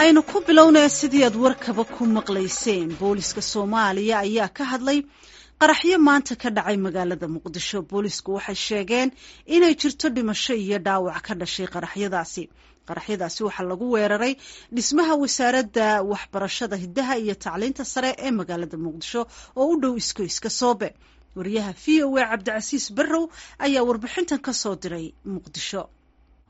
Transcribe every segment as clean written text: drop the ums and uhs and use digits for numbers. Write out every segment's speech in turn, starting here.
Aynu ku bilownaya sidii aad warkaba ku maqlayseen, booliska Soomaaliya ayaa ka hadlay qaraxyo maanta ka dhacay magaalada Muqdisho. Boolisku waxay sheegeen inay jirto dhimasho iyo dhaawac ka dhashay qaraxyadaasi. Qaraxyadaasi waxaa lagu weeraray dhismaha Wasaaradda Waxbarashada, Hiddaha iyo Tacliinta Sare ee magaalada Muqdisho oo u dhow Iskoyska Soobe. Wariyaha VOA Cabdicasiis Barrow ayaa warbixintan ka soo diray Muqdisho.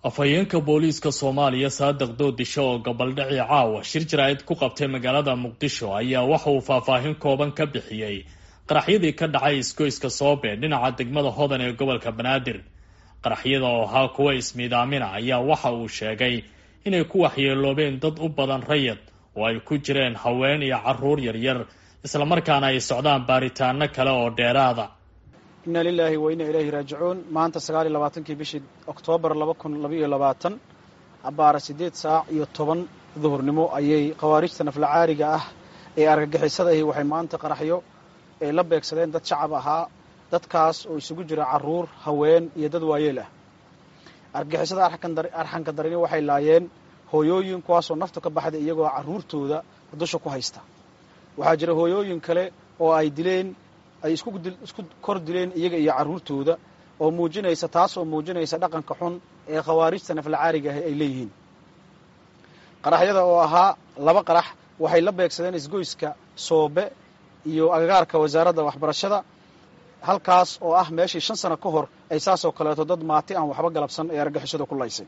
Afhayeenka booliiska Soomaaliya, Saadiq Doodisho, oo gabaldhacii caawa shir jaraa'id ku qabtay magaalada Muqdisho, ayaa waxa uu faahfaahin kooban ka bixiyey qaraxyadii ka dhacay Isgoyska Soobe dhinaca degmada Hodan ee gobolka Banaadir. Qaraxyada oo ahaa kuwa ismiidaamina ayaa waxa uu sheegay inay ku waxyeeloobeen dad u badan rayid oo ay ku jireen haween iyo caruur yaryar, islamarkaana ay socdaan baaritaano kale oo dheeraada. Inna lilaahi wa inna ilayhi raajicuun. Maanta 29-kii bishii Oktoobar 2022, abbaara 8 saac iyo 10 duhurnimo, ayay khawaarijta naflacaariga ah ee argagixisada ahi waxay maanta qaraxyo ay la beegsadeen dad shacab ahaa, dadkaas oo isugu jira carruur, haween iyo dad waayeel ah. Argagixisada arxanka darini waxay laayeen hooyooyin, kuwaasoo naftu ka baxday iyagoo carruurtooda dusha ku haysta. Waxaa jira hooyooyin kale oo ay dileen, ay isku kor dileen iyaga iyo carruurtooda, oo muujinaysa, taas oo muujinaysa dhaqanka xun ee khawaarijta naflacaariga ah ay leeyihiin. Qaraxyada oo ahaa laba qarax waxay la beegsadeen Isgoyska Soobe iyo agagaarka Wasaaradda Waxbarashada, halkaas oo ah meeshii 5 sano ka hor ay saasoo kaleeto dad maati aan waxba galabsan ee argagixisada ku laysay.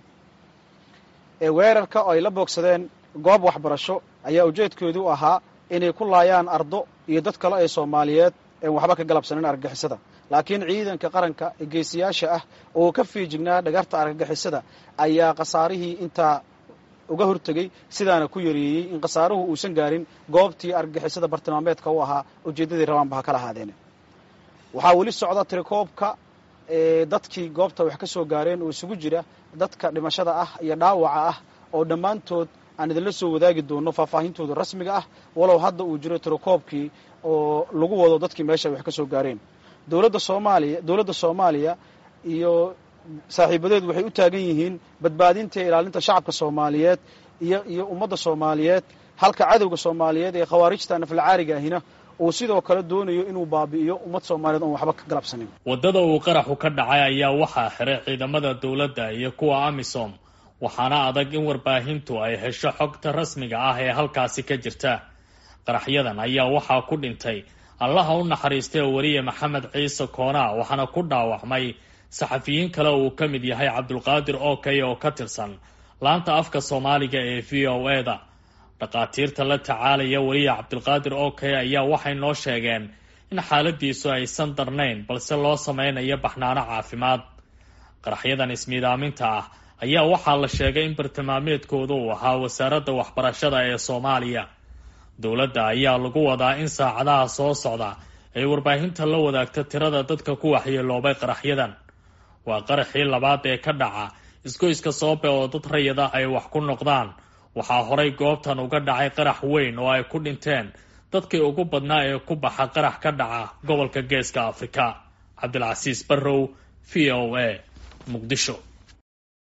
Ee weerarka oo ay la boogsadeen goob waxbarasho ayaa ujeedkoodu ahaa inay ku laayaan ardo iyo dad kale ee Soomaaliyeed een waxba ka galabsanin argagixisada, laakiin ciidanka qaranka ee geesiyaasha ah oo ka feejignaa dhagarta argagixisada ayaa khasaarihii intaa uga hortegey, sidaana ku yareeyey in khasaaruhu uusan gaarin goobtii argagixisada bartilmaameedka u ahaa, ujeeddadii rabaanba ha kala ahaadeen. Waxaa weli socda tirakoobka dadkii goobta wax ka soo gaareen, oo isugu jira dadka dhimashada ah iyo dhaawaca ah, oo dhammaantood aan idinla soo wadaagi doono faahfaahintooda rasmiga ah, walow hadda uu jiro tirakoobkii oo lagu wado dadkii meesha wax ka soo gaareen. Dowladda Soomaaliya iyo saaxiibadeed waxay u taagan yihiin badbaadinta iyo ilaalinta shacabka Soomaaliyeed iyo ummadda Soomaaliyeed, halka cadowga Soomaaliyeed ee khawaarijta naflacaariga ahina uu sidoo kale doonayo inuu baabi'iyo ummad Soomaaliyeed oon waxba ka galabsanin. Waddada uu qaraxu ka dhacay ayaa waxaa xiray ciidamada dowladda iyo kuwa AMISOM, waxaana adag in warbaahintu ay hesho xogta rasmiga ah ee halkaasi ka jirta. Qaraxyadan ayaa waxaa ku dhintay, Allaha u naxariistay, wariye Maxamed Ciise Koonaa, waxaana ku dhaawacmay saxafiyiin kale uu ka mid yahay Cabdulqaadir Okey oo ka tirsan laanta afka Soomaaliga ee VOA-da. Dhakhaatiirta la tacaalaya wariye Cabdulqaadir Okey ayaa waxay noo sheegeen in xaaladiisu aysan darnayn, balse loo sameynayo baxnaano caafimaad. Qaraxyadan ismiidaaminta ah ayaa waxaa la sheegay in bartilmaameedkooda uu ahaa Wasaaradda Waxbarashada ee Soomaaliya. Dowladda ayaa lagu wadaa in saacadaha soo socda ay warbaahinta la wadaagta tirada dadka ku waxyeeloobay qaraxyadan. Waa qaraxii labaad ee ka dhaca Isgoyska Soobe oo dad rayada ay wax ku noqdaan. Waxaa horay goobtan uga dhacay qarax weyn oo ay ku dhinteen dadkii ugu badnaa ee ku baxa qarax ka dhaca gobolka Geeska Afrika. Cabdilcasiis Barrow, VOA, Muqdisho.